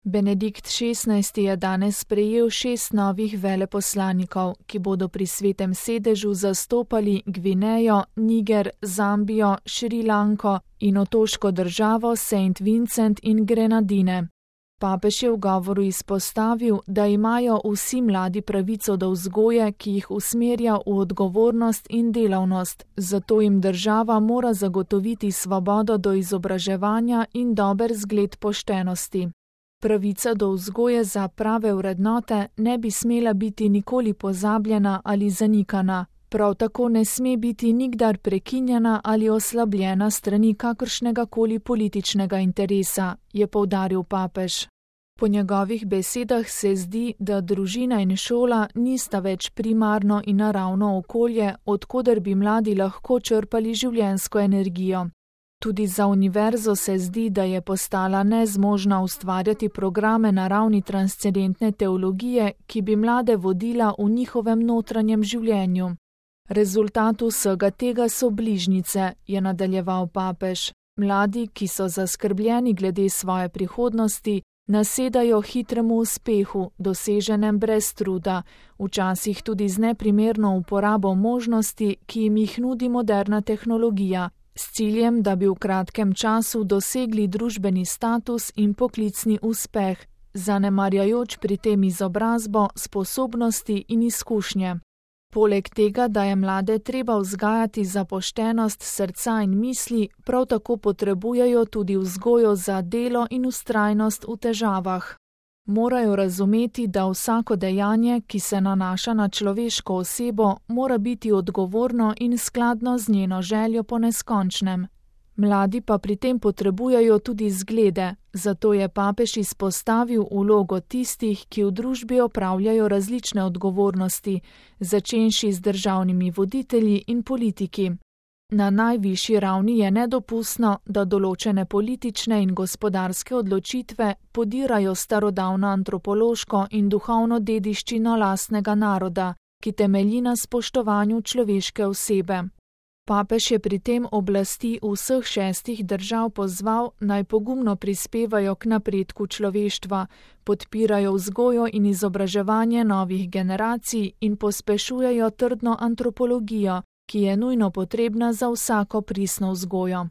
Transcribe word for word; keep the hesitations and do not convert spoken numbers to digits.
Benedikt šestnajsti je danes sprejel šest novih veleposlanikov, ki bodo pri Svetem sedežu zastopali Gvinejo, Niger, Zambijo, Šrilanko in otoško državo Saint Vincent in Grenadine. Papež je v govoru izpostavil, da imajo vsi mladi pravico do vzgoje, ki jih usmerja v odgovornost in delavnost, zato jim država mora zagotoviti svobodo do izobraževanja in dober zgled poštenosti. Pravica do vzgoje za prave vrednote ne bi smela biti nikoli pozabljena ali zanikana, prav tako ne sme biti nikdar prekinjena ali oslabljena strani kakršnega koli političnega interesa, je poudaril papež. Po njegovih besedah se zdi, da družina in šola nista več primarno in naravno okolje, od koder bi mladi lahko črpali življenjsko energijo. Tudi za univerzo se zdi, da je postala nezmožna ustvarjati programe na ravni transcendentne teologije, ki bi mlade vodila v njihovem notranjem življenju. Rezultat vsega tega so bližnjice, je nadaljeval papež. Mladi, ki so zaskrbljeni glede svoje prihodnosti, nasedajo hitremu uspehu, doseženem brez truda, včasih tudi z neprimerno uporabo možnosti, ki jim jih nudi moderna tehnologija, s ciljem, da bi v kratkem času dosegli družbeni status in poklicni uspeh, zanemarjajoč pri tem izobrazbo, sposobnosti in izkušnje. Poleg tega, da je mlade treba vzgajati za poštenost srca in misli, prav tako potrebujejo tudi vzgojo za delo in vztrajnost v težavah. Morajo razumeti, da vsako dejanje, ki se nanaša na človeško osebo, mora biti odgovorno in skladno z njeno željo po neskončnem. Mladi pa pri tem potrebujejo tudi zglede, zato je papež izpostavil vlogo tistih, ki v družbi opravljajo različne odgovornosti, začenši z državnimi voditelji in politiki. Na najvišji ravni je nedopustno, da določene politične in gospodarske odločitve podirajo starodavno antropološko in duhovno dediščino lastnega naroda, ki temelji na spoštovanju človeške osebe. Papež je pri tem oblasti vseh šestih držav pozval, naj pogumno prispevajo k napredku človeštva, podpirajo vzgojo in izobraževanje novih generacij in pospešujejo trdno antropologijo, ki je nujno potrebna za vsako pristno vzgojo.